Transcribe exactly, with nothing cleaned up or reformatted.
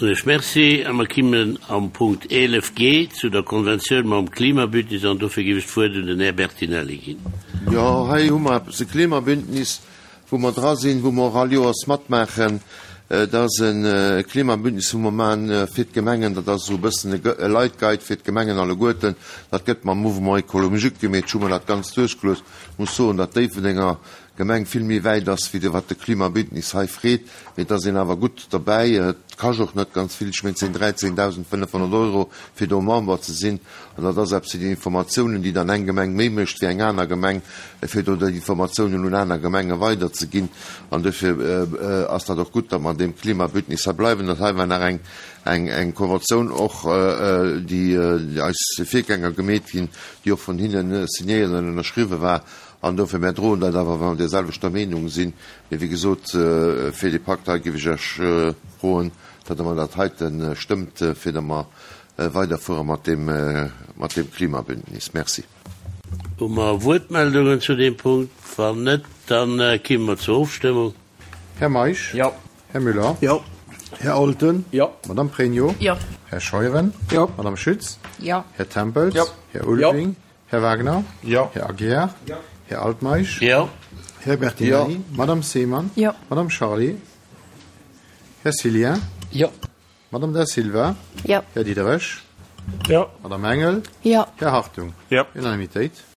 Soen ech Merci a mer kimmen am Punkt eelef G zu der Konventioun mam Klimabündnis an dofir géif ech d'Wuert un den Här Bertinelli ginn. Jo, hei hu mer eppes, e Klimabündnis, wou mer dra sinn, wou mer och all Joers matmaachen. Dat ass e Klimabündnis, wou mer maachen fir d'Gemengen. Dat ass esou e bëssen e Leitguide fir d'Gemengen alleguerten. Dat gëtt mam Mouvement écologique gemeet. Ech hu mer dat Ganzt duerchgelues. Ech muss soen, datt Déifferdenger Gemeng vill méi wäit ass wéi de wat de Klimabündnis hei freet, mee et ass een awer gutt derbäi. Et kascht och net ganz vill, ech mengen et sinn dräizéngdausendfënnefhonnert Euro fir do Member ze sinn an dat ass eppes fir déi Informatiounen, déi dann eng Gemeng méi mécht wéi eng aner Gemeng, fir do déi Informatiounen un aner Gemenge weiderzeginn an dofir ass dat och gutt, datt mer an deem Klimabündnis hei bleiwen. Dat hei war nach eng eng eng Konventioun och, déi eis Virgänger gemeet ginn, déi och vun hinne signéiert an ënnerschriwwe war. An dofir, mär droen dat awer, wa mer där selwechter Meenung sinn. Mee wéi gesot, fir dee Pakt hei géif ech Iech froen, datt Der mer dat heite stëmmt, fir datt mer weiderfuere mat deem, mat deem Klimabündnis. Merci. Hu mer Wuertmeldungen zu deem Punkt? Wann net, da kimme mer zur Ofstëmmung. Här Meisch? Jo. Här Müller? Jo. Här Olten? Jo. Madame Pregno? Jo. Här Scheuren? Jo. Madame Schütz? Jo. Här Tempels? Jo. Här Ulveling? Här Wagner? Jo. Här Aguiar? Jo. Här Altmeisch? Jo. Här Bertinelli? Jo. Madame Seemann? Jo. Madame Charlé? Här Cillien? Jo. Madame Da Silva? Jo. Här Diderich? Jo. Madame Engel? Jo. Här Hartung? Jo. Unanimitéit.